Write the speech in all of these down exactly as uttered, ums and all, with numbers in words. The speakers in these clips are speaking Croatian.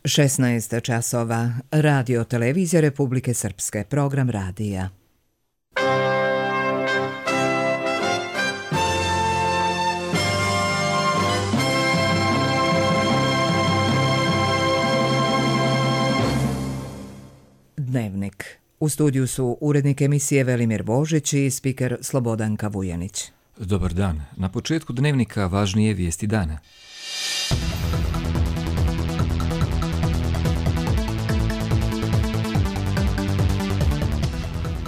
šesnaest časova. Radio Televizija Republike Srpske. Program radija. Dnevnik. U studiju su urednik emisije Velimir Božić i spiker Slobodanka Vujanić. Dobar dan. Na početku dnevnika važnije vijesti dana.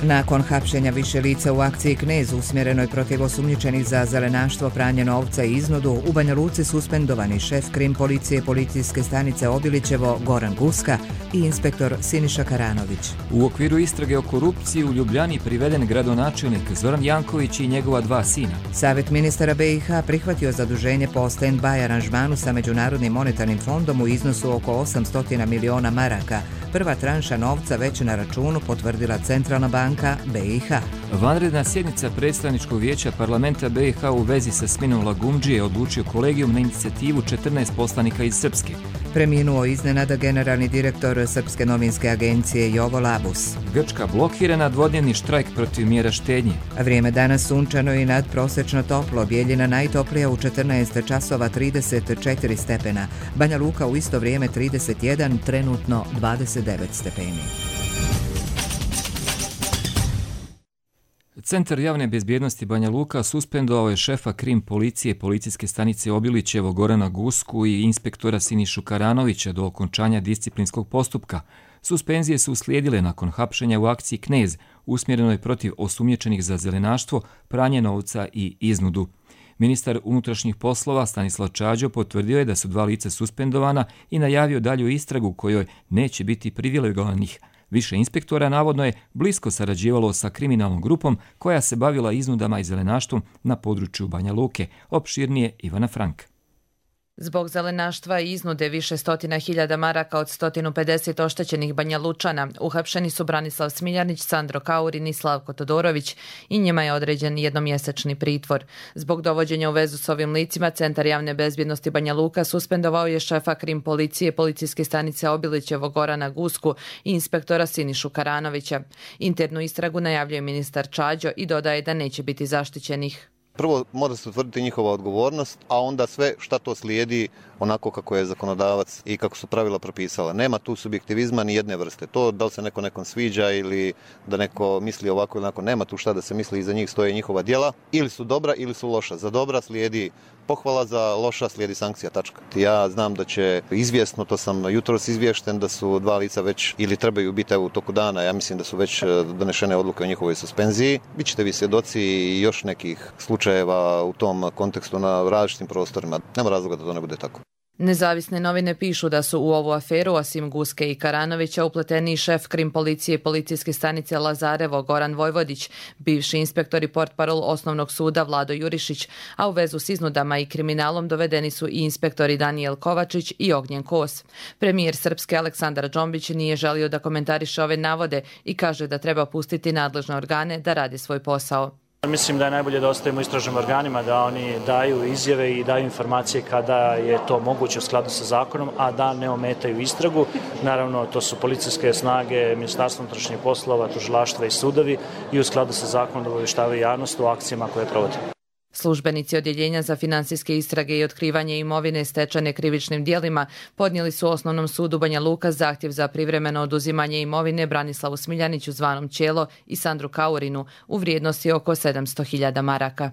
Nakon hapšenja više lica u akciji Knez usmjerenoj protiv osumnjičenih za zelenaštvo, pranje novca i iznudu, u Banja Luci suspendovani šef krim policije policijske stanice Obilićevo Goran Guska i inspektor Siniša Karanović. U okviru istrage o korupciji u Ljubljani priveden gradonačelnik Zoran Janković i njegova dva sina. Savjet ministara B i H prihvatio zaduženje po stand-by aranžmanu sa Međunarodnim monetarnim fondom u iznosu oko osamsto miliona maraka. Prva tranša novca već na računu, potvrdila Centralna banka B i H. Vanredna sjednica predstavničkog vijeća parlamenta B i H u vezi sa smjenom Lagumdžije odlučio kolegijum na inicijativu četrnaest poslanika iz Srpske. Preminuo iznenada generalni direktor Srpske novinske agencije Jovo Labus. Grčka blokira na dvodnevni štrajk protiv mjera štednje. Vrijeme danas sunčano i nadprosečno toplo. Bijeljina najtoplija u četrnaest časova trideset četiri stepena. Banja Luka u isto vrijeme trideset jedan, trenutno dvadeset devet stepeni. Centar javne bezbjednosti Banja Luka suspendovao je šefa krim policije policijske stanice Obilićevo Gorana Gusku i inspektora Sinišu Karanovića do okončanja disciplinskog postupka. Suspenzije su uslijedile nakon hapšenja u akciji Knez, usmjerenoj protiv osumnjičenih za zelenaštvo, pranje novca i iznudu. Ministar unutrašnjih poslova Stanislav Čađo potvrdio je da su dva lica suspendovana i najavio dalju istragu u kojoj neće biti privilegovanih. Više inspektora navodno je blisko sarađivalo sa kriminalnom grupom koja se bavila iznudama i zelenaštvom na području Banja Luke. Opširnije Ivana Frank. Zbog zelenaštva i iznude više stotina hiljada maraka od sto pedeset oštećenih Banja Lučana uhapšeni su Branislav Smiljanić, Sandro Kaurin i Slavko Todorović i njima je određen jednomjesečni pritvor. Zbog dovođenja u vezu s ovim licima, Centar javne bezbjednosti Banja Luka suspendovao je šefa krim policije policijske stanice Obilićevo Gorana Gusku i inspektora Sinišu Karanovića. Internu istragu najavljuje ministar Čađo i dodaje da neće biti zaštićenih. Prvo mora se utvrditi njihova odgovornost, a onda sve šta to slijedi onako kako je zakonodavac i kako su pravila propisala. Nema tu subjektivizma ni jedne vrste. To da li se neko nekom sviđa ili da neko misli ovako ili onako, nema tu šta da se misli, iza njih stoje njihova djela. Ili su dobra ili su loša. Za dobra slijedi pohvala, za loša slijedi sankcija, tačka. Ja znam da će izvjesno, to sam jutros izvješten, da su dva lica već ili trebaju biti u toku dana, ja mislim da su već donešene odluke o njihovoj suspenziji. Bićete vi svjedoci i još nekih slučajeva u tom kontekstu na različitim prostorima. Nema razloga da to ne bude tako. Nezavisne novine pišu da su u ovu aferu, osim Guske i Karanovića, upleteni šef krim policije policijske stanice Lazarevo Goran Vojvodić, bivši inspektor i portparol osnovnog suda Vlado Jurišić, a u vezu s iznudama i kriminalom dovedeni su i inspektori Danijel Kovačić i Ognjen Kos. Premijer Srpske Aleksandar Džombić nije želio da komentariše ove navode i kaže da treba pustiti nadležne organe da rade svoj posao. Mislim da je najbolje da ostavimo istražnim organima, da oni daju izjave i daju informacije kada je to moguće u skladu sa zakonom, a da ne ometaju istragu. Naravno, to su policijske snage, Ministarstvo unutrašnjih poslova, tužilaštva i sudovi i u skladu sa zakonom da obavještavaju javnost o akcijama koje provode. Službenici Odjeljenja za financijske istrage i otkrivanje imovine stečene krivičnim djelima podnijeli su Osnovnom sudu Banja Luka zahtjev za privremeno oduzimanje imovine Branislavu Smiljaniću zvanom Ćelo i Sandru Kaurinu u vrijednosti oko sedamsto hiljada maraka.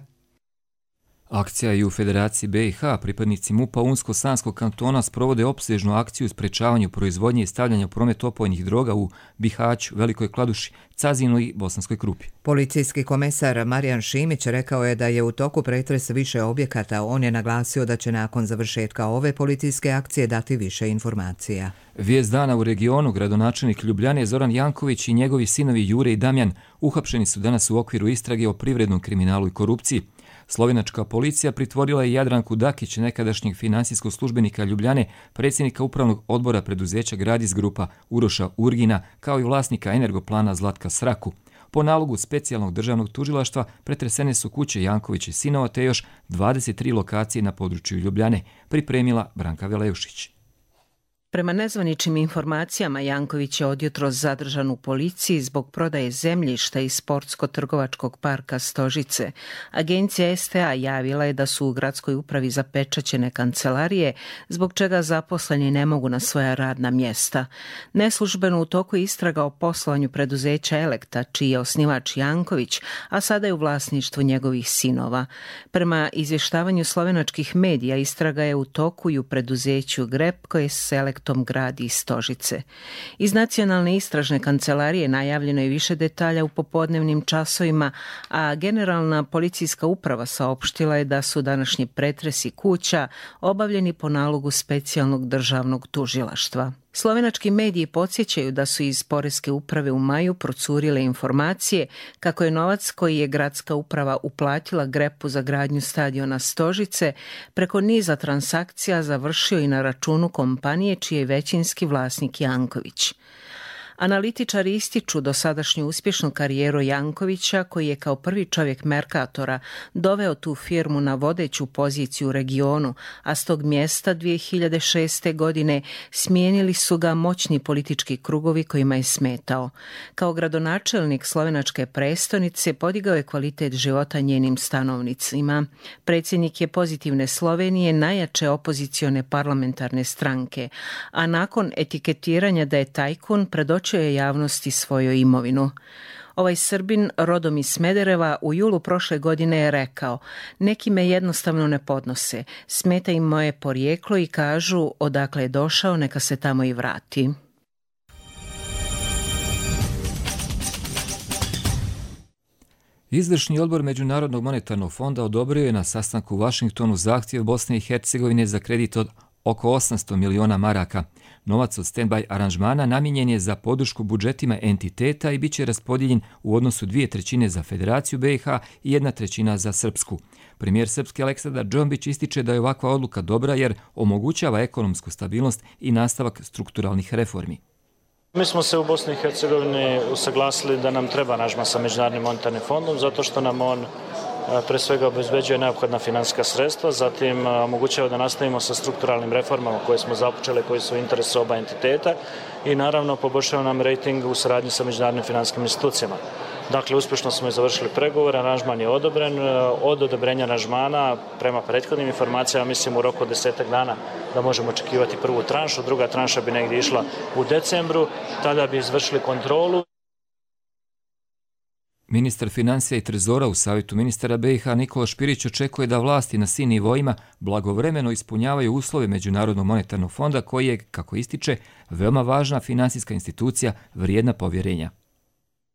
Akcija i u Federaciji B i H pripadnici MUP-a Unsko-Sanskog kantona sprovode opsežnu akciju u sprečavanju proizvodnje i stavljanja u promet opojnih droga u Bihaću, Velikoj Kladuši, Cazinu i Bosanskoj Krupi. Policijski komesar Marijan Šimić rekao je da je u toku pretres više objekata. On je naglasio da će nakon završetka ove policijske akcije dati više informacija. Vijest dana u regionu, gradonačelnik Ljubljane Zoran Janković i njegovi sinovi Jure i Damjan uhapšeni su danas u okviru istrage o privrednom kriminalu i korupciji. Slovenačka policija pritvorila je Jadranku Dakić, nekadašnjeg finansijskog službenika Ljubljane, predsjednika upravnog odbora preduzeća Gradis Grupa Uroša Urgina, kao i vlasnika Energoplana Zlatka Sraku. Po nalogu specijalnog državnog tužilaštva pretresene su kuće Janković i sinova te još dvadeset tri lokacije na području Ljubljane, pripremila Branka Veleušić. Prema nezvaničnim informacijama, Janković je odjutros zadržan u policiji zbog prodaje zemljišta iz sportsko-trgovačkog parka Stožice. Agencija S T A javila je da su u gradskoj upravi zapečaćene kancelarije, zbog čega zaposleni ne mogu na svoja radna mjesta. Neslužbeno u toku je istraga o poslovanju preduzeća Elekta, čiji je osnivač Janković, a sada je u vlasništvu njegovih sinova. Prema izvještavanju slovenačkih medija, istraga je u toku i u preduzeću Grep, koje se Elekta tom gradi iz Stožice. Iz Nacionalne istražne kancelarije najavljeno je više detalja u popodnevnim časovima, a Generalna policijska uprava saopštila je da su današnji pretresi kuća obavljeni po nalogu specijalnog državnog tužilaštva. Slovenački mediji podsjećaju da su iz Poreske uprave u maju procurile informacije kako je novac koji je gradska uprava uplatila Grepu za gradnju stadiona Stožice preko niza transakcija završio i na računu kompanije čiji je većinski vlasnik Janković. Analitičari ističu dosadašnju uspješnu karijeru Jankovića, koji je kao prvi čovjek Merkatora doveo tu firmu na vodeću poziciju u regionu, a s tog mjesta dvije hiljade šeste. godine smijenili su ga moćni politički krugovi kojima je smetao. Kao gradonačelnik slovenačke prestonice podigao je kvalitet života njenim stanovnicima. Predsjednik je Pozitivne Slovenije, najjače opozicione parlamentarne stranke, a nakon etiketiranja da je tajkun predočio je javnosti svoju imovinu. Ovaj Srbin, rodom iz Smedereva, u julu prošle godine je rekao: neki me jednostavno ne podnose, smeta im moje porijeklo i kažu odakle je došao, neka se tamo i vrati. Izvršni odbor Međunarodnog monetarnog fonda odobrio je na sastanku u Vašingtonu zahtjev Bosne i Hercegovine za kredit od oko osamsto miliona maraka. Novac od stand-by aranžmana namijenjen je za podršku budžetima entiteta i bit će raspodijeljen u odnosu dvije trećine za Federaciju B i H i jedna trećina za Srpsku. Premijer Srpske Aleksandar Džombić ističe da je ovakva odluka dobra jer omogućava ekonomsku stabilnost i nastavak strukturalnih reformi. Mi smo se u Bosni i Hercegovini usaglasili da nam treba aranžman sa Međunarodnim monetarnim fondom zato što nam on pre svega obezbeđuje neophodna finansijska sredstva, zatim omogućava da nastavimo sa strukturalnim reformama koje smo započeli, koji su u interesu oba entiteta i naravno poboljšava nam rejting u saradnji sa međunarodnim finansijskim institucijama. Dakle, uspješno smo i završili pregovor, aranžman je odobren. Od odobrenja aranžmana, prema prethodnim informacijama, mislim u roku od desetak dana da možemo očekivati prvu tranšu, druga tranša bi negdje išla u decembru, tada bi izvršili kontrolu. Ministar financija i trezora u Savjetu ministara B i H Nikola Špirić očekuje da vlasti na svim nivoima blagovremeno ispunjavaju uslove Međunarodnog monetarnog fonda koji je, kako ističe, veoma važna finansijska institucija vrijedna povjerenja.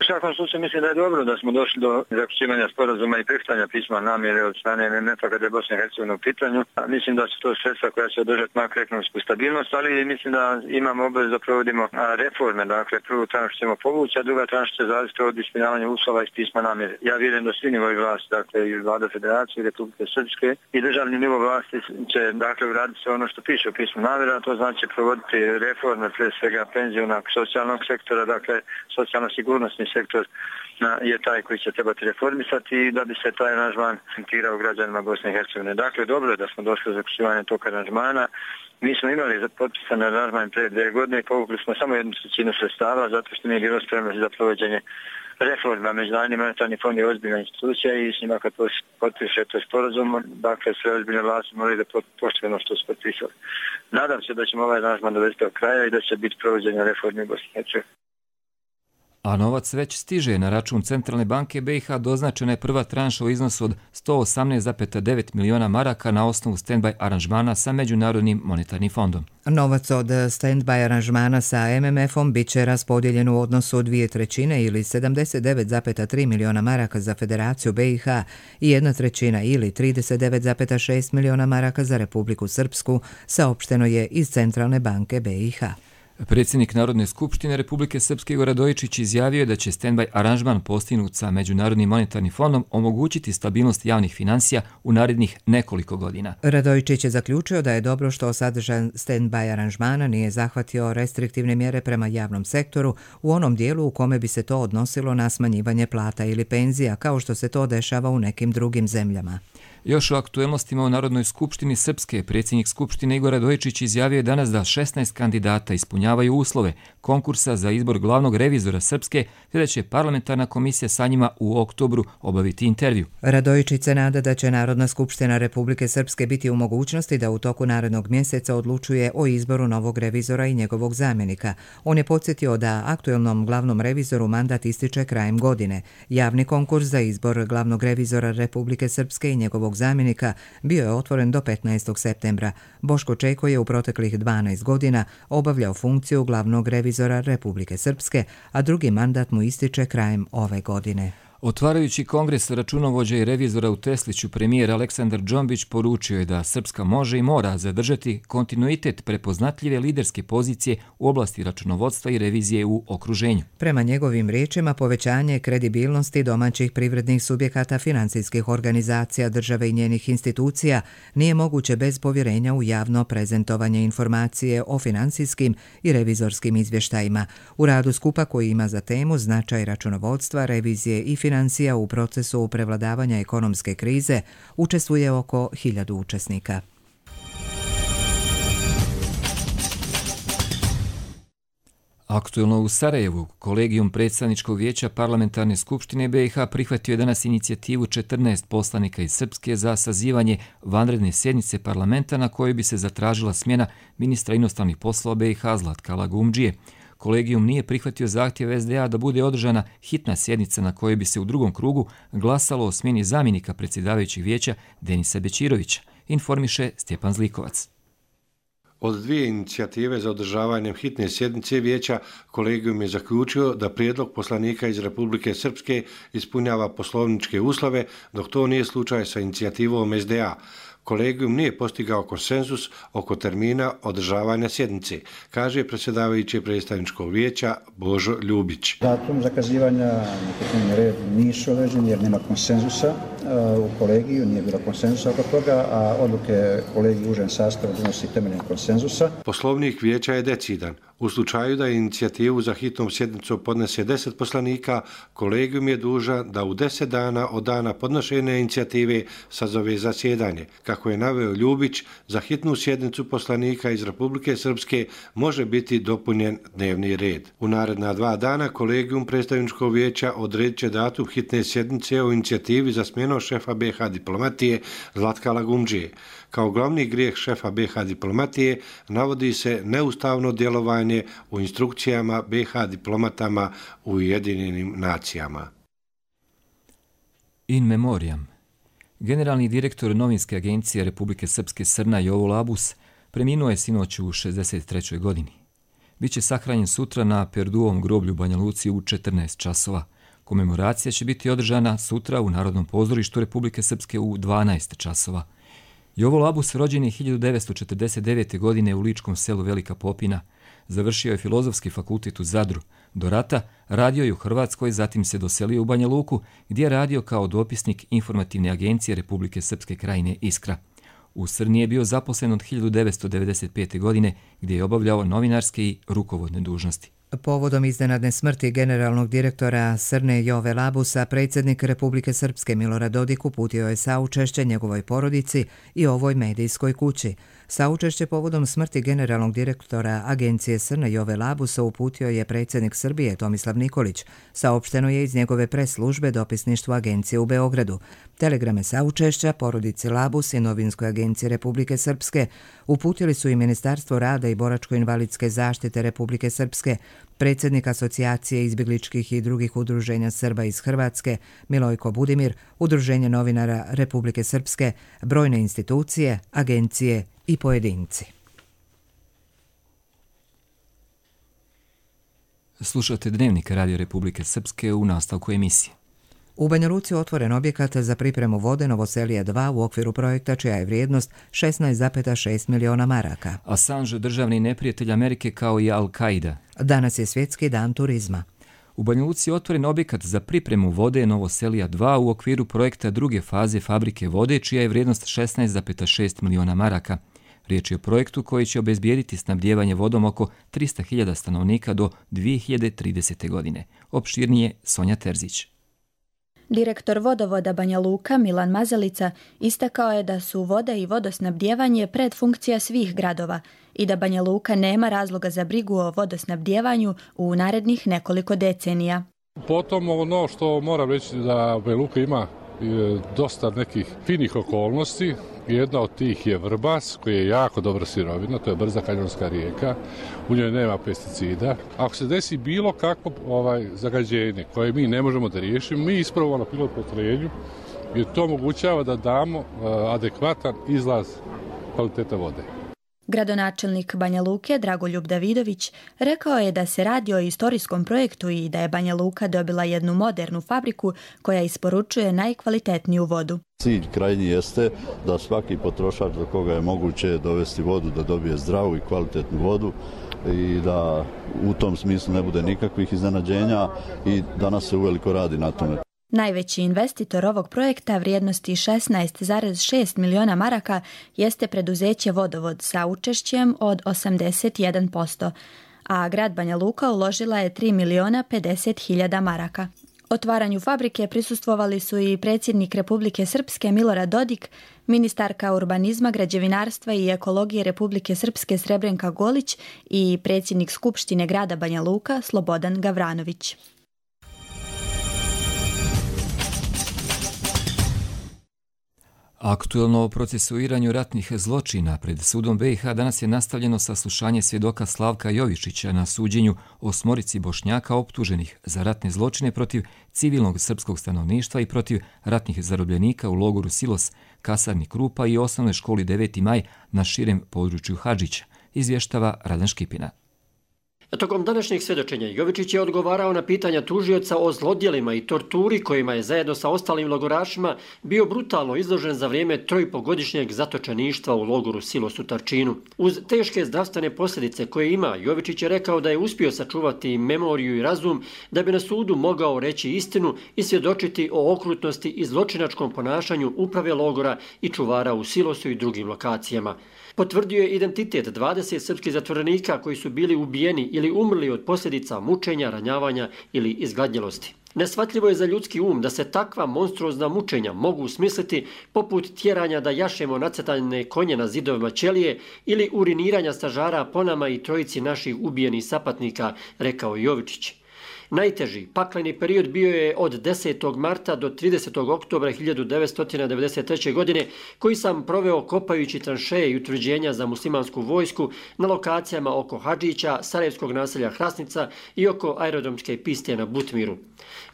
U svakom slučaju mislim da je dobro da smo došli do zaključivanja sporazuma i prihvatanja pisma namjere od strane M M F-a kada je Bosna i Hercegovina u pitanju. Mislim da su to sredstva koja će održati makroekonomsku stabilnost, ali mislim da imamo obavezu da provodimo reforme. Dakle, prvu tranšu ćemo povući, a druga tranša će zavisiti od ispunjavanja uslova iz pisma namjere. Ja vjerujem da svi nivoji vlasti, dakle i Vlada Federacije, Republike Srpske i državni nivo vlasti će dakle uraditi sve ono što piše u pismu namjere, a to znači provoditi reforme, pre svega penzionog, socijalnog sektora, dakle socijalno-sigurnosni sektor je taj koji će trebati reformisati i da bi se taj aranžman sentirao građanima Bosne i Hercegovine. Dakle, dobro je da smo došli do zaključivanja tog aranžmana. Mi smo imali potpisan aranžman pre dvije godine i povukli smo samo jednu trećinu sredstava zato što nije bilo spremnosti za provođenje reforma. Međunarodni monetarni fond je ozbiljna institucija i s njima kad potpiše to sporazum, dakle sve ozbiljne vlasti moraju da poštuju ono što su potpisali. Nadam se da ćemo ovaj aranžman dovesti do kraja i da će biti provođenje reforme u Bosni i Hercegovini. A novac već stiže na račun Centralne banke B i H. Doznačena je prva tranša u iznosu od sto osamnaest zarez devet miliona maraka na osnovu stand-by aranžmana sa Međunarodnim monetarnim fondom. Novac od stand-by aranžmana sa M M F-om bit će raspodijeljen u odnosu dvije trećine ili sedamdeset devet zarez tri miliona maraka za Federaciju B i H i jedna trećina ili trideset devet zarez šest miliona maraka za Republiku Srpsku, saopšteno je iz Centralne banke B i H. Predsjednik Narodne skupštine Republike Srpske Igor Radojičić izjavio je da će stand-by aranžman postignut sa Međunarodnim monetarnim fondom omogućiti stabilnost javnih financija u narednih nekoliko godina. Radojičić je zaključio da je dobro što sadržaj stand-by aranžmana nije zahvatio restriktivne mjere prema javnom sektoru u onom dijelu u kome bi se to odnosilo na smanjivanje plata ili penzija, kao što se to dešava u nekim drugim zemljama. Još o aktuelnostima u Narodnoj skupštini Srpske, predsjednik Skupštine Igor Radojičić izjavio je danas da šesnaest kandidata ispunjavaju uslove konkursa za izbor glavnog revizora Srpske, te da će parlamentarna komisija sa njima u oktobru obaviti intervju. Radojičić se nada da će Narodna skupština Republike Srpske biti u mogućnosti da u toku narednog mjeseca odlučuje o izboru novog revizora i njegovog zamjenika. On je podsjetio da aktuelnom glavnom revizoru mandat ističe krajem godine. Javni konkurs za izbor glavnog revizora Republike Srpske i njegovog zamjenika bio je otvoren do petnaestog septembra. Boško Čeko je u proteklih dvanaest godina obavljao funkciju glavnog revizora Republike Srpske, a drugi mandat mu ističe krajem ove godine. Otvarajući kongres računovođa i revizora u Tesliću, premijer Aleksandar Džombić poručio je da Srpska može i mora zadržati kontinuitet prepoznatljive liderske pozicije u oblasti računovodstva i revizije u okruženju. Prema njegovim riječima, povećanje kredibilnosti domaćih privrednih subjekata, financijskih organizacija, države i njenih institucija nije moguće bez povjerenja u javno prezentovanje informacije o financijskim i revizorskim izvještajima. U radu skupa koji ima za temu značaj računovodstva, revizije i financija u procesu prevladavanja ekonomske krize učestvuje oko hiljadu učesnika. Aktuelno u Sarajevu, kolegijum predstavničkog vijeća Parlamentarne skupštine B i H prihvatio je danas inicijativu četrnaest poslanika iz Srpske za sazivanje vanredne sjednice parlamenta na kojoj bi se zatražila smjena ministra inostranih poslova B i H Zlatka Lagumdžije. Kolegijum nije prihvatio zahtjev S D A da bude održana hitna sjednica na kojoj bi se u drugom krugu glasalo o smjeni zamjenika predsjedavajućeg vijeća Denisa Bećirovića, informiše Stjepan Zlikovac. Od dvije inicijative za održavanjem hitne sjednice vijeća, kolegijum je zaključio da prijedlog poslanika iz Republike Srpske ispunjava poslovničke uslove, dok to nije slučaj sa inicijativom S D A. Kolegijum nije postigao konsenzus oko termina održavanja sjednice, kaže predsjedavajući predstavničkog vijeća Božo Ljubić. Datum zakazivanja na hitni red nisu određeni jer nema konsenzusa u kolegiju, nije bilo konsenzusa oko toga, a odluke kolegiju u užem sastavu donosi temeljem konsenzusa. Poslovnik vijeća je decidan. U slučaju da inicijativu za hitnom sjednicom podnese deset poslanika, kolegijum je dužan da u deset dana od dana podnošenja inicijative sazove zasjedanje. Kako je naveo Ljubić, za hitnu sjednicu poslanika iz Republike Srpske može biti dopunjen dnevni red. U naredna dva dana kolegijum predstavničkog vijeća odredit će datum hitne sjednice o inicijativi za smjenu šefa B i H diplomatije Zlatka Lagumdžije. Kao glavni grijeh šefa B i H diplomatije navodi se neustavno djelovanje u instrukcijama B i H diplomatama u Ujedinjenim nacijama. In memoriam. Generalni direktor novinske agencije Republike Srpske Srna Jovo Labus preminuo je sinoć u šezdeset trećoj godini. Biće sahranjen sutra na Perduovom groblju Banja Luci u četrnaest časova. Komemoracija će biti održana sutra u Narodnom pozorištu Republike Srpske u dvanaest časova. Jovo Labus rođen je hiljadu devetsto četrdeset devete. godine u ličkom selu Velika Popina. Završio je Filozofski fakultet u Zadru. Do rata radio je u Hrvatskoj, zatim se doselio u Banja Luku, gdje je radio kao dopisnik informativne agencije Republike Srpske Krajine Iskra. U Srni je bio zaposlen od hiljadu devetsto devedeset pete. godine, gdje je obavljao novinarske i rukovodne dužnosti. Povodom iznenadne smrti generalnog direktora Srne Jove Labusa, predsjednik Republike Srpske Milorad Dodik uputio je saučešće njegovoj porodici i ovoj medijskoj kući. Saučešće povodom smrti generalnog direktora agencije Srne Jove Labusa uputio je predsjednik Srbije Tomislav Nikolić. Saopšteno je iz njegove pres službe dopisništvu agencije u Beogradu. Telegrame saučešća porodici Labus i novinskoj agenciji Republike Srpske uputili su i Ministarstvo rada i boračko-invalidske zaštite Republike Srpske, predsjednik Asocijacije izbjegličkih i drugih udruženja Srba iz Hrvatske Milojko Budimir, Udruženje novinara Republike Srpske, brojne institucije, agencije i pojedinci. Slušate Dnevnik Radio Republike Srpske u nastavku emisije. U Banja Luci otvoren objekat za pripremu vode Novoselija dva u okviru projekta čija je vrijednost šesnaest zarez šest miliona maraka. Assange, državni neprijatelj Amerike kao i Al-Qaida. Danas je svjetski dan turizma. U Banja Luci otvoren objekat za pripremu vode Novoselija dva u okviru projekta druge faze fabrike vode čija je vrijednost šesnaest zarez šest miliona maraka. Riječ je o projektu koji će obezbijediti snabdijevanje vodom oko trista hiljada stanovnika do dvije hiljade tridesete. godine. Opširnije Sonja Terzić. Direktor vodovoda Banja Luka Milan Mazalica istakao je da su voda i vodosnabdijevanje predfunkcija svih gradova i da Banja Luka nema razloga za brigu o vodosnabdijevanju u narednih nekoliko decenija. Potom ono što moram reći da Banja Luka ima dosta nekih finih okolnosti. Jedna od tih je Vrbas, koji je jako dobra sirovina, to je brza kanjonska rijeka, u njoj nema pesticida. Ako se desi bilo kakvo ovaj, zagađenje koje mi ne možemo da riješimo, mi ispravo na pilot postrojenju, jer to omogućava da damo uh, adekvatan izlaz kvaliteta vode. Gradonačelnik Banja Luke Dragoljub Davidović rekao je da se radi o istorijskom projektu i da je Banja Luka dobila jednu modernu fabriku koja isporučuje najkvalitetniju vodu. Cilj krajnji jeste da svaki potrošač do koga je moguće dovesti vodu, da dobije zdravu i kvalitetnu vodu i da u tom smislu ne bude nikakvih iznenađenja i danas se uveliko radi na tome. Najveći investitor ovog projekta vrijednosti šesnaest zarez šest miliona maraka jeste preduzeće Vodovod sa učešćem od osamdeset jedan posto, a grad Banja Luka uložila je tri miliona pedeset hiljada maraka. Otvaranju fabrike prisustvovali su i predsjednik Republike Srpske Milorad Dodik, ministarka urbanizma, građevinarstva i ekologije Republike Srpske Srebrenka Golić i predsjednik Skupštine grada Banja Luka Slobodan Gavranović. Aktuelno o procesuiranju ratnih zločina pred sudom B i H danas je nastavljeno saslušanje svjedoka Slavka Jovičića na suđenju osmorici Bošnjaka optuženih za ratne zločine protiv civilnog srpskog stanovništva i protiv ratnih zarobljenika u logoru Silos, kasarni Krupa i osnovnoj školi deveti maj na širem području Hadžića, izvještava Radan Škipina. Tokom današnjeg svjedočenja Jovičić je odgovarao na pitanja tužioca o zlodjelima i torturi kojima je zajedno sa ostalim logorašima bio brutalno izložen za vrijeme trojpogodišnjeg zatočeništva u logoru Silos u Tarčinu. Uz teške zdravstvene posljedice koje ima, Jovičić je rekao da je uspio sačuvati memoriju i razum da bi na sudu mogao reći istinu i svjedočiti o okrutnosti i zločinačkom ponašanju uprave logora i čuvara u Silosu i drugim lokacijama. Potvrdio je identitet dvadeset srpskih zatvorenika koji su bili ubijeni ili umrli od posljedica mučenja, ranjavanja ili izgladnjelosti. Nesvatljivo je za ljudski um da se takva monstruozna mučenja mogu smisliti poput tjeranja da jašemo nacrtane konje na zidovima ćelije ili uriniranja stažara po nama i trojici naših ubijenih sapatnika, rekao Jovičić. Najteži pakleni period bio je od desetog marta do tridesetog oktobra hiljadu devetsto devedeset treće. godine, koji sam proveo kopajući tranšeje i utvrđenja za muslimansku vojsku na lokacijama oko Hadžića, sarajevskog naselja Hrasnica i oko aerodromske piste na Butmiru.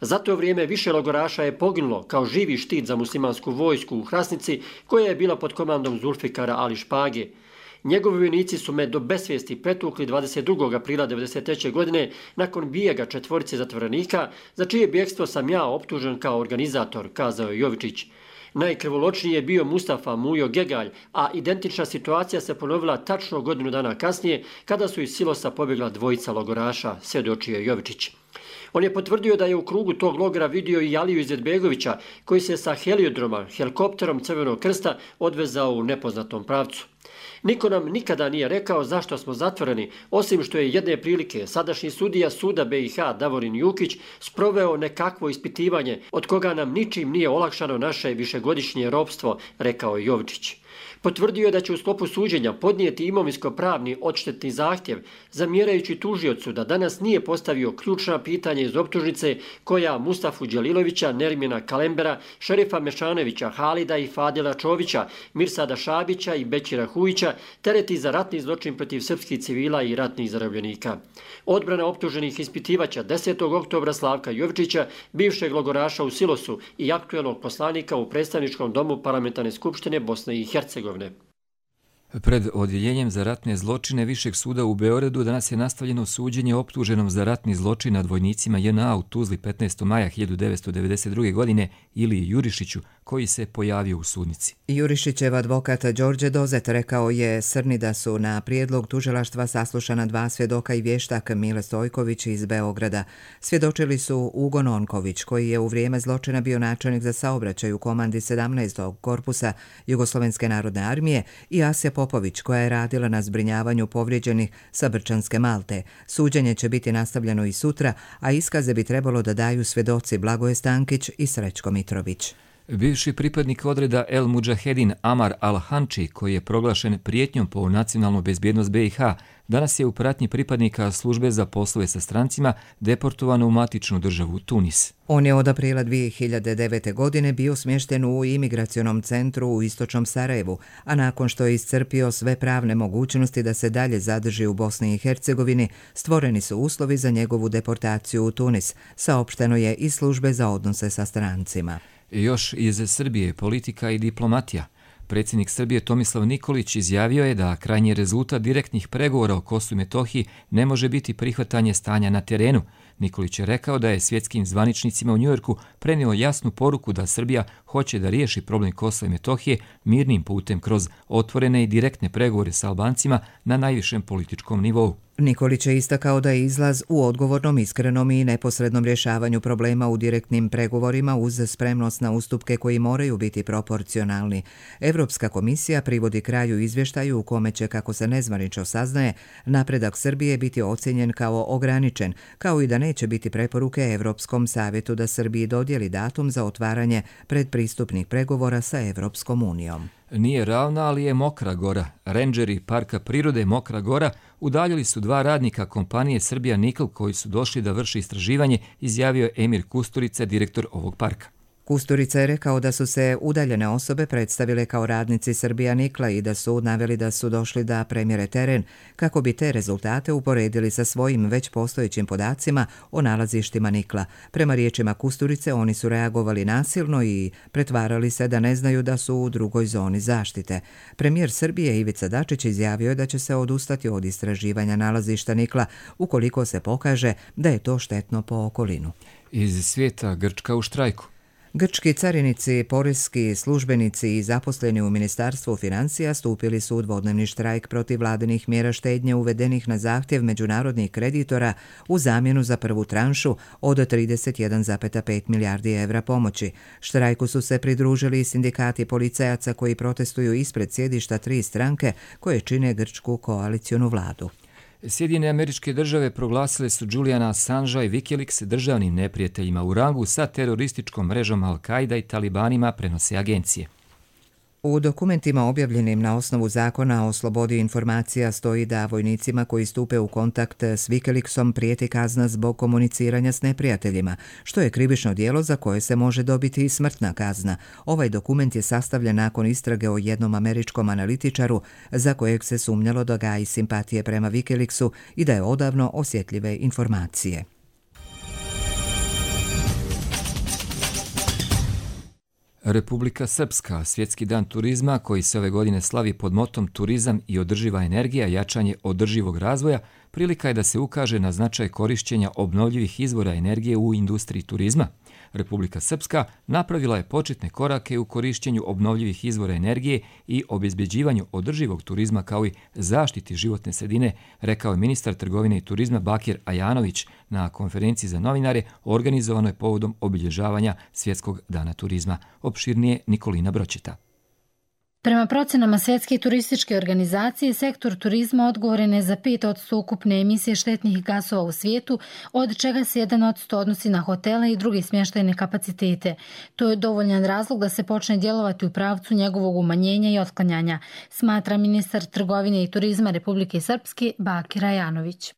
Za to vrijeme više logoraša je poginulo kao živi štit za muslimansku vojsku u Hrasnici, koja je bila pod komandom Zulfikara Ali Špage. Njegovi vojnici su me do besvijesti pretukli dvadeset drugog aprila devedeset treće. godine nakon bijega četvorice zatvorenika, za čije bjegstvo sam ja optužen kao organizator, kazao je Jovičić. Najkrvoločniji je bio Mustafa Mujo Gegalj, a identična situacija se ponovila tačno godinu dana kasnije, kada su iz Silosa pobjegla dvojica logoraša, svjedočio je Jovičić. On je potvrdio da je u krugu tog logora vidio i Aliju Izetbegovića, koji se sa heliodroma, helikopterom Crvenog krsta, odvezao u nepoznatom pravcu. Niko nam nikada nije rekao zašto smo zatvoreni, osim što je jedne prilike sadašnji sudija suda B i H Davorin Jukić sproveo nekakvo ispitivanje, od koga nam ničim nije olakšano naše višegodišnje ropstvo, rekao je Jovičić. Potvrdio je da će u sklopu suđenja podnijeti imovinsko-pravni odštetni zahtjev, zamjerajući tužiocu da danas nije postavio ključna pitanja iz optužnice koja Mustafu Đelilovića, Nermina Kalembera, Šerifa Mešanovića, Halida i Fadila Čovića, Mirsada Šabića i Bećira Hujića tereti za ratni zločin protiv srpskih civila i ratnih zarobljenika. Odbrana optuženih ispitivača desetog oktobra Slavka Jovičića, bivšeg logoraša u Silosu i aktuelnog poslanika u predstavničkom domu Parlamentarne skupštine Bosne i Hercegovine. Pred odjeljenjem za ratne zločine Višeg suda u Beogradu danas je nastavljeno suđenje optuženom za ratni zločin nad vojnicima J N A u Tuzli petnaestog maja hiljadu devetsto devedeset druge. godine Iliji Jurišiću, koji se pojavio u sudnici. Jurišićev advokat Đorđe Dozet rekao je Srni da su na prijedlog tužilaštva saslušana dva svjedoka i vještak Mile Stojković iz Beograda. Svjedočili su Ugo Nonković, koji je u vrijeme zločina bio načelnik za saobraćaj u komandi sedamnaestog korpusa Jugoslovenske narodne armije, i Asja Popović, koja je radila na zbrinjavanju povrijeđenih sa Brčanske Malte. Suđenje će biti nastavljeno i sutra, a iskaze bi trebalo da daju svedoci Blagoje Stankić i Srećko Mitrović. Bivši pripadnik odreda El Mudžahedin Amar Al-Hanči, koji je proglašen prijetnjom po nacionalnu bezbjednost B i H, danas je u pratnji pripadnika službe za poslove sa strancima deportovan u matičnu državu Tunis. On je od aprila dvije hiljade devete. godine bio smješten u imigracionom centru u istočnom Sarajevu, a nakon što je iscrpio sve pravne mogućnosti da se dalje zadrži u Bosni i Hercegovini, stvoreni su uslovi za njegovu deportaciju u Tunis, saopšteno je iz službe za odnose sa strancima. Još iz Srbije, politika i diplomatija. Predsjednik Srbije Tomislav Nikolić izjavio je da krajnji rezultat direktnih pregovora o Kosovu i Metohiji ne može biti prihvatanje stanja na terenu. Nikolić je rekao da je svjetskim zvaničnicima u Njujorku prenio jasnu poruku da Srbija hoće da riješi problem Kosova i Metohije mirnim putem kroz otvorene i direktne pregovore sa Albancima na najvišem političkom nivou. Nikolić je istakao da je izlaz u odgovornom, iskrenom i neposrednom rješavanju problema u direktnim pregovorima uz spremnost na ustupke koji moraju biti proporcionalni. Evropska komisija privodi kraju izvještaju u kome će, kako se nezvanično saznaje, napredak Srbije biti ocjenjen kao ograničen, kao i da neće biti preporuke Evropskom savjetu da Srbiji dodijeli datum za otvaranje predpristupnih pregovora sa Evropskom unijom. Nije ravna, ali je Mokra Gora. Rendžeri Parka prirode Mokra Gora udaljili su dva radnika kompanije Srbija Nikl koji su došli da vrši istraživanje, izjavio je Emir Kusturica, direktor ovog parka. Kusturica je rekao da su se udaljene osobe predstavile kao radnici Srbija Nikla i da su naveli da su došli da premjere teren kako bi te rezultate uporedili sa svojim već postojećim podacima o nalazištima Nikla. Prema riječima Kusturice, oni su reagovali nasilno i pretvarali se da ne znaju da su u drugoj zoni zaštite. Premijer Srbije Ivica Dačić izjavio je da će se odustati od istraživanja nalazišta Nikla ukoliko se pokaže da je to štetno po okolinu. Iz svijeta, Grčka u štrajku. Grčki carinici, poreski službenici i zaposleni u Ministarstvu financija stupili su u dvodnevni štrajk protiv vladinih mjera štednje uvedenih na zahtjev međunarodnih kreditora u zamjenu za prvu tranšu od trideset jedan zarez pet milijardi evra pomoći. Štrajku su se pridružili i sindikati policajaca koji protestuju ispred sjedišta tri stranke koje čine grčku koalicionu vladu. Sjedinjene Američke Države proglasile su Juliana Assangea i Wikileaks državnim neprijateljima u rangu sa terorističkom mrežom Al-Qaida i talibanima, prenose agencije. U dokumentima objavljenim na osnovu zakona o slobodi informacija stoji da vojnicima koji stupe u kontakt s Wikileaksom prijeti kazna zbog komuniciranja s neprijateljima, što je krivično djelo za koje se može dobiti i smrtna kazna. Ovaj dokument je sastavljen nakon istrage o jednom američkom analitičaru za kojeg se sumnjalo da gaji simpatije prema Wikileaksu i da je odavno osjetljive informacije. Republika Srpska, svjetski dan turizma koji se ove godine slavi pod motom Turizam i održiva energija, jačanje održivog razvoja, prilika je da se ukaže na značaj korišćenja obnovljivih izvora energije u industriji turizma. Republika Srpska napravila je početne korake u korišćenju obnovljivih izvora energije i obezbeđivanju održivog turizma kao i zaštiti životne sredine, rekao je ministar trgovine i turizma Bakir Ajanović na konferenciji za novinare organizovanoj povodom obilježavanja Svjetskog dana turizma. Opširnije Nikolina Bročeta. Prema procenama Svjetske turističke organizacije, sektor turizma odgovoran je za pet posto ukupne emisije štetnih gasova u svijetu, od čega se jedan posto odnosi na hotele i druge smještajne kapacitete. To je dovoljan razlog da se počne djelovati u pravcu njegovog umanjenja i otklanjanja, smatra ministar trgovine i turizma Republike Srpske Bakir Ajanović.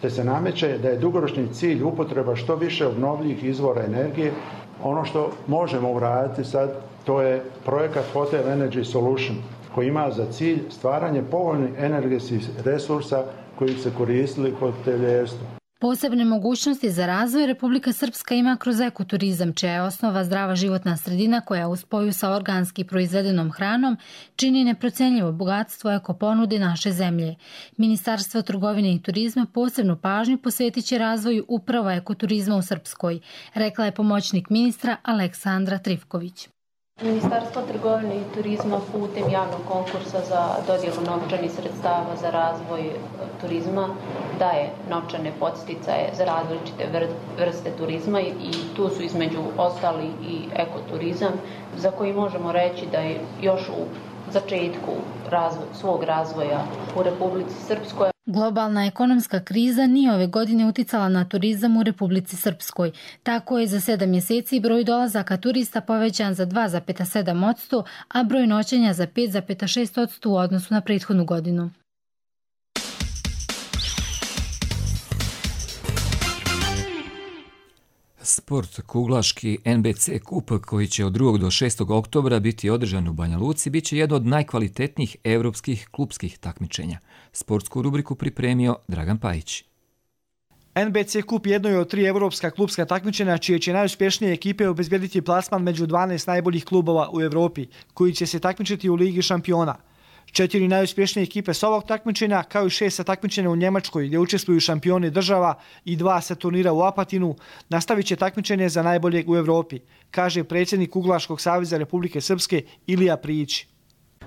Te se nameće da je dugoročni cilj upotreba što više obnovljivih izvora energije. Ono što možemo uraditi sad, to je projekat Hotel Energy Solution, koji ima za cilj stvaranje povoljnih energetskih resursa koji se koristili hotelijerstvu. Posebne mogućnosti za razvoj Republika Srpska ima kroz ekoturizam, čija je osnova zdrava životna sredina koja u spoju sa organski proizvedenom hranom čini neprocenljivo bogatstvo ekoponude naše zemlje. Ministarstvo trgovine i turizma posebnu pažnju posvetit će razvoju upravo ekoturizma u Srpskoj, rekla je pomoćnik ministra Aleksandra Trifković. Ministarstvo trgovine i turizma putem javnog konkursa za dodjelu novčanih sredstava za razvoj turizma daje novčane podsticaje za različite vrste turizma i tu su između ostali i ekoturizam, za koji možemo reći da je još u začetku razvoj, svog razvoja u Republici Srpskoj. Globalna ekonomska kriza nije ove godine uticala na turizam u Republici Srpskoj. Tako je za sedam mjeseci broj dolazaka turista povećan za dva zarez sedam posto, a broj noćenja za pet zarez šest posto u odnosu na prethodnu godinu. Sport kuglaški N B C kup koji će od drugog do šestog oktobra biti održan u Banja Luci biće jedno od najkvalitetnijih europskih klupskih takmičenja. Sportsku rubriku pripremio Dragan Pajić. N B C kup jedno je od tri europska klupska takmičenja čije će najuspješnije ekipe obezbjediti plasman među dvanaest najboljih klubova u Europi, koji će se takmičiti u Ligi šampiona. Četiri najuspješnije ekipe s ovog takmičenja, kao i šest sa takmičenja u Njemačkoj gdje učestvuju šampioni država i dva sa turnira u Apatinu, nastavit će takmičenje za najboljeg u Europi, kaže predsjednik Kuglaškog saveza Republike Srpske Ilija Prijić.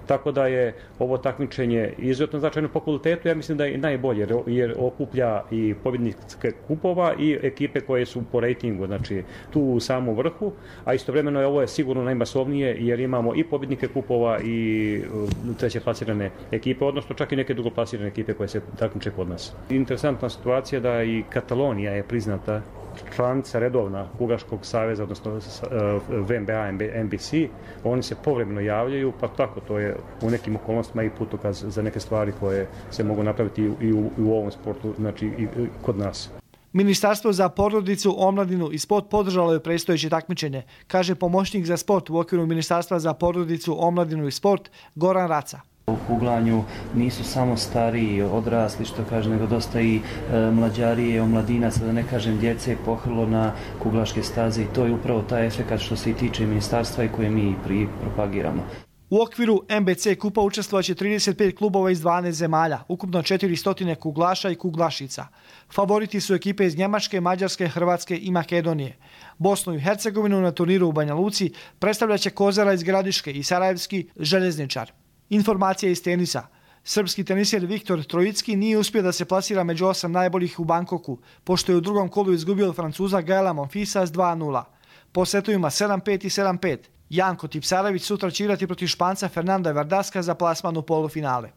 Tako da je ovo takmičenje izuzetno značajno po kvalitetu, ja mislim da je najbolje jer okuplja i pobjednike kupova i ekipe koje su po rejtingu, znači tu u samom vrhu, a istovremeno je ovo je sigurno najmasovnije jer imamo i pobjednike kupova i treće plasirane ekipe, odnosno čak i neke drugoplasirane ekipe koje se takmiče kod nas. Interesantna situacija da i Katalonija je priznata članica redovna Kuglaškog saveza, odnosno V M B A, N B C, oni se povremeno javljaju, pa tako to je u nekim okolnostima i putokaz za neke stvari koje se mogu napraviti i u, i u ovom sportu, znači i kod nas. Ministarstvo za porodicu, omladinu i sport podržalo je predstojeće takmičenje, kaže pomoćnik za sport u okviru Ministarstva za porodicu, omladinu i sport Goran Raca. U kuglanju nisu samo stariji, odrasli, što kaže, nego dosta i e, mlađarije, omladinaca, da ne kažem djece, pohrlo na kuglaške staze i to je upravo taj efekat što se i tiče ministarstva i koje mi pri propagiramo. U okviru N B C kupa učestvovaće trideset pet klubova iz dvanaest zemalja, ukupno četiristo kuglaša i kuglašica. Favoriti su ekipe iz Njemačke, Mađarske, Hrvatske i Makedonije. Bosnu i Hercegovinu na turniru u Banja Luci predstavljaće Kozara iz Gradiške i Sarajevski željezničar. Informacija iz tenisa. Srpski teniser Viktor Trojicki nije uspio da se plasira među osam najboljih u Bankoku, pošto je u drugom kolu izgubio od Francuza Gaela Monfilsa s dva nula. Po setovima sedam pet i sedam pet. Janko Tipsarević sutra će igrati protiv Španca Fernanda Vardaska za plasman u polufinale.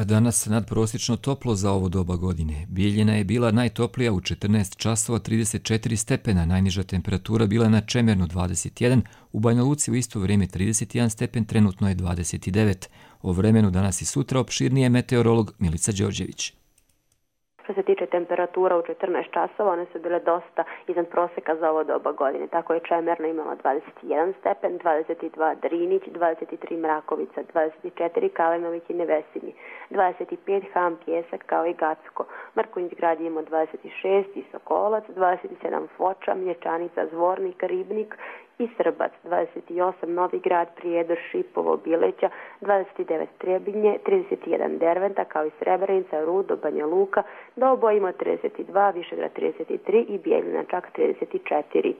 Danas nadprosječno toplo za ovo doba godine. Bijeljina je bila najtoplija u četrnaest časova trideset četiri stepena, najniža temperatura bila na Čemernu dvadeset jedan, u Banja Luci u isto vrijeme trideset jedan stepen, trenutno je dvadeset devet. O vremenu danas i sutra opširnije meteorolog Milica Đorđević. Što se tiče temperatura u četrnaest časova, one su bile dosta iznad proseka za ovo doba godine. Tako je Čemerna imala dvadeset jedan stepen, dvadeset dva Drinić, dvadeset tri Mrakovica, dvadeset četiri Kalenović i Nevesinji, dvadeset pet Ham Pjesak kao i Gacko. Marković grad je imao dvadeset šest i Sokolac, dvadeset sedam Foča, Mlječanica, Zvornik, Ribnik i Srbac, dvadeset osam Novi grad, Prijedor, Šipovo, Bileća, dvadeset devet Trebinje, trideset jedan Derventa kao i Srebrenica, Rudo, Banja Luka, Doboj ima trideset dva, Višegrad trideset tri i Bijeljina čak trideset četiri.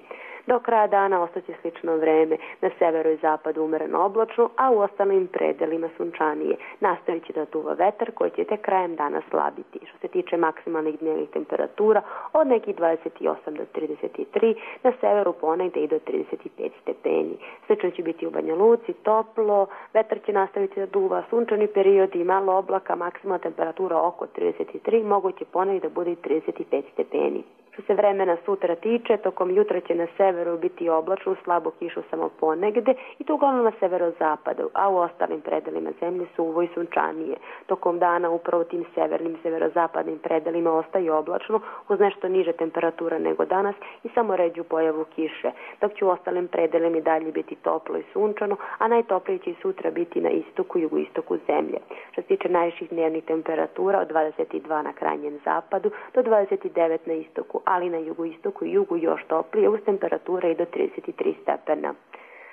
Do kraja dana ostaće slično vreme, na severu i zapadu umjereno oblačno, a u ostalim predelima sunčanije. Nastavit će da duva vetar koji će te krajem dana slabiti. Što se tiče maksimalnih dnevnih temperatura, od nekih dvadeset osam do trideset tri, na severu ponegde i do trideset pet stepeni. Slično će biti u Banja Luci, toplo, vetar će nastaviti da duva, sunčani period i malo oblaka, maksimalna temperatura oko trideset tri, moguće ponegde da bude i trideset pet stepeni. Što se vremena sutra tiče, tokom jutra će na severu biti oblačno, slabo kišu samo ponegde i to uglavnom na severozapadu, a u ostalim predelima zemlje suvo i sunčanije. Tokom dana upravo tim severnim, severozapadnim predelima ostaje oblačno uz nešto niže temperatura nego danas i samo ređu pojavu kiše, dok će u ostalim predelima i dalje biti toplo i sunčano, a najtoplije će i sutra biti na istoku i jugoistoku zemlje. Što se tiče najviših dnevnih temperatura od dvadeset dva na krajnjem zapadu do dvadeset devet na istoku, ali na jugoistoku i jugu još toplije uz temperature i do trideset tri stepena.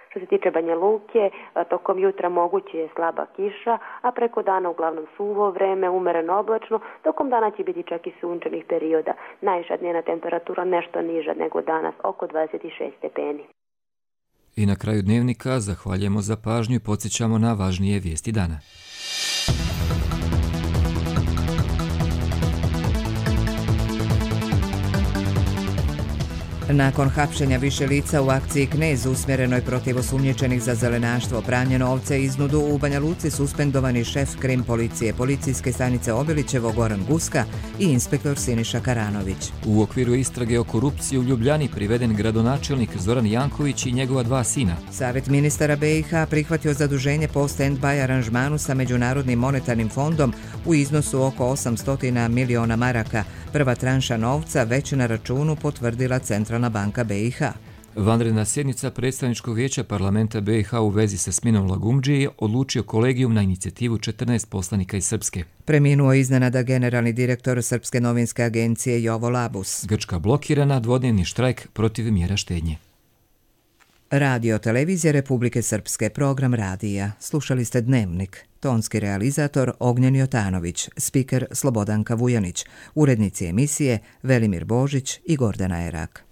Što se tiče Banja Luke, tokom jutra moguće je slaba kiša, a preko dana uglavnom suvo vreme, umereno oblačno, tokom dana će biti čak i sunčanih perioda. Najviša dnevna temperatura nešto niža nego danas, oko dvadeset šest stepeni. I na kraju dnevnika zahvaljujemo za pažnju i podsjećamo na važnije vijesti dana. Nakon hapšenja više lica u akciji Knez usmjerenoj protiv osumnjičenih za zelenaštvo, pranje novca i iznudu, u Banja Luci suspendovani šef krim policije policijske stanice Obilićevo Goran Guska i inspektor Siniša Karanović. U okviru istrage o korupciji u Ljubljani priveden gradonačelnik Zoran Janković i njegova dva sina. Savjet ministara B i H prihvatio zaduženje po stand-by aranžmanu sa Međunarodnim monetarnim fondom u iznosu oko osamsto miliona maraka. Prva tranša novca već na računu potvrdila Centralna banka B i H. Vanredna sjednica predstavničkog vijeća parlamenta B i H u vezi sa sminom Lagumdžije odlučio kolegijum na inicijativu četrnaest poslanika iz Srpske. Preminuo iznenada generalni direktor Srpske novinske agencije Jovo Labus. Grčka blokirana, dvodnevni štrajk protiv mjera štednje. Radio televizija Republike Srpske, program radija. Slušali ste Dnevnik. Tonski realizator Ognjen Jotanović, spiker Slobodanka Vujanić, urednici emisije Velimir Božić i Gordana Erak.